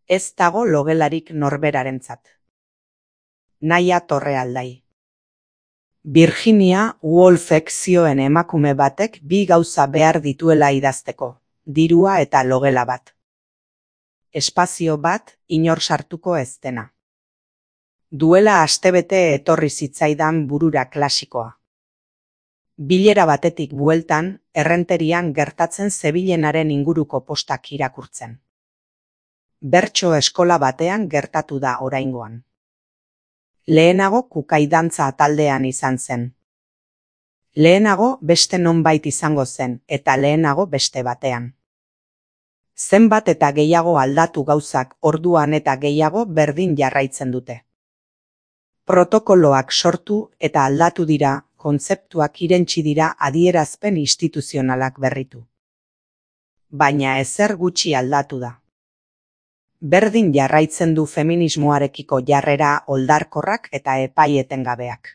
Ez dago logelarik norberarentzat. Naia Torrealdai. Virginia Woolfek zioen emakume batek bi gauza behar dituela idazteko, dirua eta logela bat. Espazio bat inor sartuko ez dena. Duela astebete etorri zitzaidan burura klasikoa. Bilera batetik bueltan, errenterian gertatzen zebilenaren inguruko postak irakurtzen. Bertso eskola batean gertatu da oraingoan. Lehenago kukaidantza taldean izan zen. Lehenago beste nonbait izango zen, eta lehenago beste batean. Zenbat eta gehiago aldatu gauzak orduan eta gehiago berdin jarraitzen dute. Protokoloak sortu eta aldatu dira, kontzeptuak irentsi dira adierazpen instituzionalak berritu. Baina ezer gutxi aldatu da. Berdin jarraitzen du feminismoarekiko jarrera oldarkorrak eta epai etengabeak.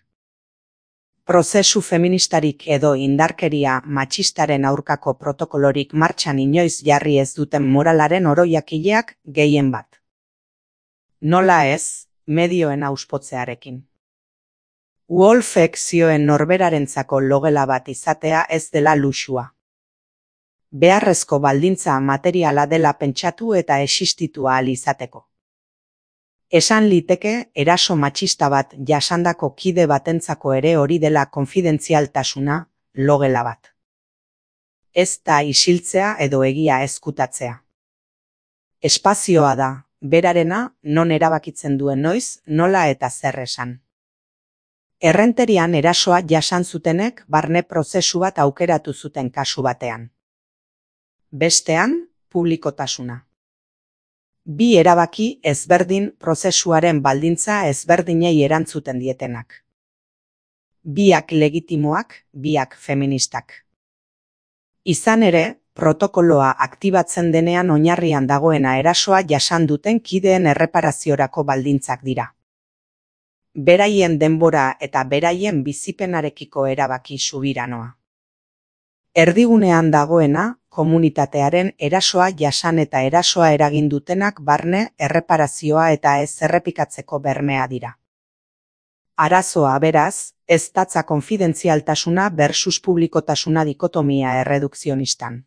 Prozesu feministarik edo indarkeria matxistaren aurkako protokolorik martxan inoiz jarri ez duten moralaren oroiakileak gehien bat. Nola ez, medioen auspotzearekin. Woolfek zioen norberarentzako logela bat izatea ez dela luxua. Beharrezko baldintza materiala dela pentsatu eta existitu ahal izateko. Esan liteke eraso matxista bat jasandako kide batentzako ere hori dela konfidentzialtasuna, logela bat. Ez da isiltzea edo egia ezkutatzea. Espazioa da, berarena, non erabakitzen duen noiz, nola eta zer esan. Errenterian erasoa jasan zutenek barne prozesu bat aukeratu zuten kasu batean. Bestean, publikotasuna. Bi erabaki ezberdin prozesuaren baldintza ezberdinei erantzuten dietenak. Biak legitimoak, biak feministak. Izan ere, protokoloa aktibatzen denean oinarrian dagoena erasoa jasan duten kideen erreparaziorako baldintzak dira. Beraien denbora eta beraien bizipenarekiko erabaki subiranoa. Erdigunean dagoena, komunitatearen erasoa jasan eta erasoa eragin dutenak barne, erreparazioa eta ez errepikatzeko bermea dira. Arazoa beraz, ez datza konfidentzialtasuna versus publikotasuna dikotomia erredukzionistan.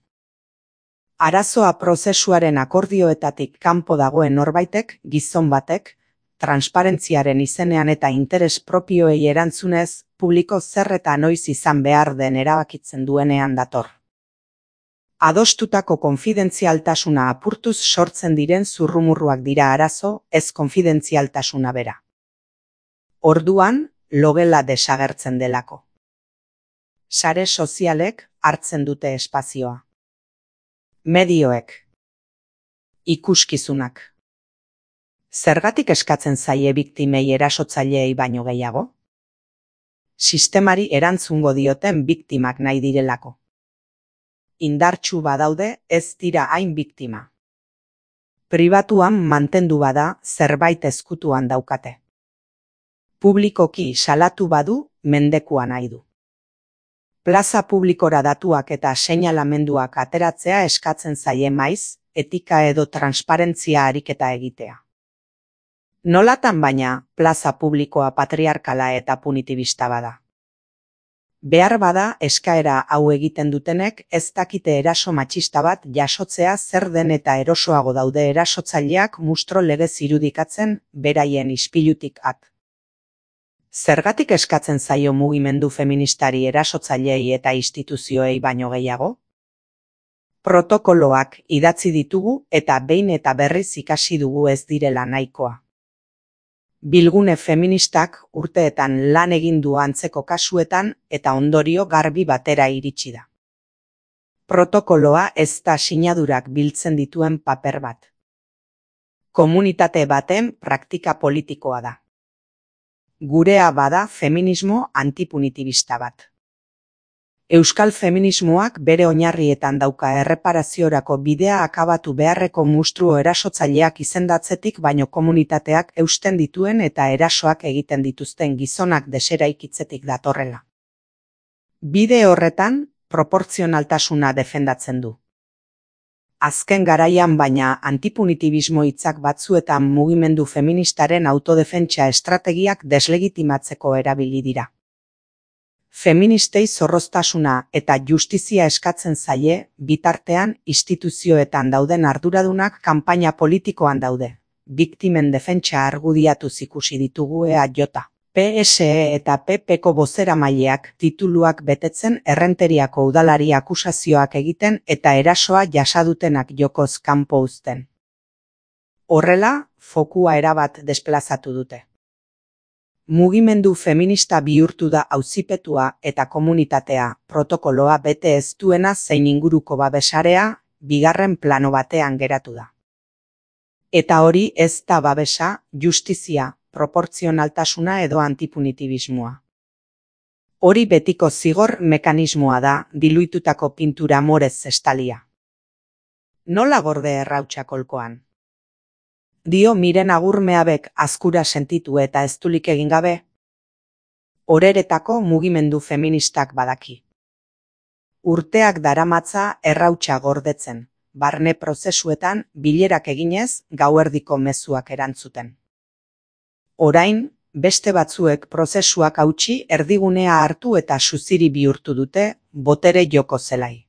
Arazoa prozesuaren akordioetatik kanpo dagoen norbaitek, gizon batek, transparentziaren izenean eta interes propioei erantzunez, publiko zer eta noiz izan behar den erabakitzen duenean dator. Adostutako konfidentzialtasuna apurtuz sortzen diren zurrumurruak dira arazo, ez konfidentzialtasuna bera. Orduan, logela desagertzen delako. Sare sozialek hartzen dute espazioa. Medioek. Ikuskizunak. Zergatik eskatzen zaie biktimei erasotzaileei baino gehiago? Sistemari erantzungo dioten biktimak nahi direlako. Indartsu badaude ez dira hain biktima. Pribatuan mantendu bada zerbait ezkutuan daukate. Publikoki salatu badu mendekua nahi du. Plaza publikora datuak eta seinalamenduak ateratzea eskatzen zaie maiz, etika edo transparentzia ariketa egitea. Nolatan baina, plaza publikoa patriarkala eta punitibista bada. Behar bada eskaera hau egiten dutenek ez dakite eraso matxista bat jasotzea zer den eta erosoago daude erasotzaileak mustro legez irudikatzen beraien ispilutik at. Zergatik eskatzen zaio mugimendu feministari erasotzaileei eta instituzioei baino gehiago? Protokoloak idatzi ditugu eta behin eta berriz ikasi dugu ez direla nahikoa. Bilgune feministak urteetan lan egin du antzeko kasuetan eta ondorio garbi batera iritsi da. Protokoloa ez da sinadurak biltzen dituen paper bat. Komunitate baten praktika politikoa da. Gurea bada feminismo antipunitibista bat. Euskal feminismoak bere oinarrietan dauka erreparaziorako bidea akabatu beharreko mustruo erasotzaileak izendatzetik baino komunitateak eusten dituen eta erasoak egiten dituzten gizonak deseraikitzetik datorrela. Bide horretan, proportzionaltasuna defendatzen du. Azken garaian baina antipunitibismo hitzak batzuetan mugimendu feministaren autodefentsa estrategiak deslegitimatzeko erabili dira. Feministei zorroztasuna eta justizia eskatzen zaie, bitartean instituzioetan dauden arduradunak kanpaina politikoan daude. Biktimen defentsa argudiatuz ikusi ditugu EAJ, PSE eta PPko bozeramaileak tituluak betetzen Errenteriako udalari akusazioak egiten eta erasoa jasadutenak jokoz kanpo uzten. Horrela, fokua erabat desplazatu dute. Mugimendu feminista bihurtu da auzipetua eta komunitatea protokoloa bete ez duena zein inguruko babesarea bigarren plano batean geratu da. Eta hori ez da babesa, justizia, proportzionaltasuna edo antipunitibismoa. Hori betiko zigor mekanismoa da diluitutako pintura morez estalia. Nola gorde errautsa kolkoan? Dio Miren Agurmeabek azkura sentitu eta eztulik egin gabe. Horeretako mugimendu feministak badaki. Urteak daramatza errautsa gordetzen, barne prozesuetan bilerak eginez gauerdiko mezuak erantzuten. Orain, beste batzuek prozesuak hautsi erdigunea hartu eta suziri bihurtu dute botere joko zelai.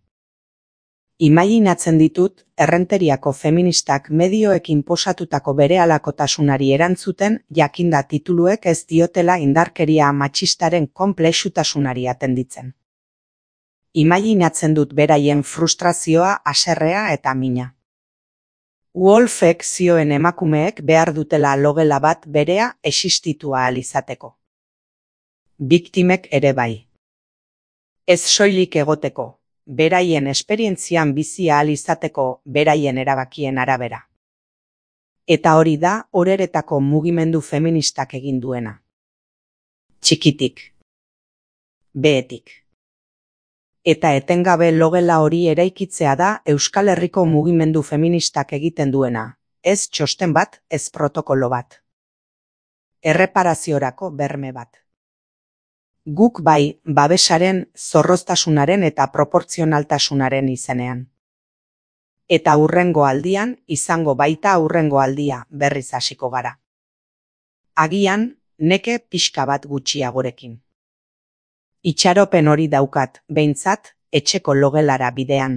Imaginatzen ditut, Errenteriako feministak medioek inposatutako berehalakotasunari erantzuten jakinda tituluek ez diotela indarkeria matxistaren konplexutasunari atenditzen. Imaginatzen dut beraien frustrazioa, haserrea eta mina. Wolfek zioen emakumeek behar dutela logela bat berea existitua ahal izateko. Biktimek ere bai. Ez soilik egoteko, beraien esperientzian bizi ahal izateko beraien erabakien arabera. Eta hori da horeretako mugimendu feministak egin duena. Txikitik. Behetik. Eta etengabe logela hori eraikitzea da Euskal Herriko mugimendu feministak egiten duena, ez txosten bat, ez protokolo bat. Erreparaziorako berme bat. Guk bai, babesaren, zorroztasunaren eta proportzionaltasunaren izenean. Eta hurrengo aldian, izango baita hurrengo aldia berriz hasiko gara. Agian, neke pixka bat gutxiagorekin. Itxaropen hori daukat, behintzat, etxeko logelara bidean.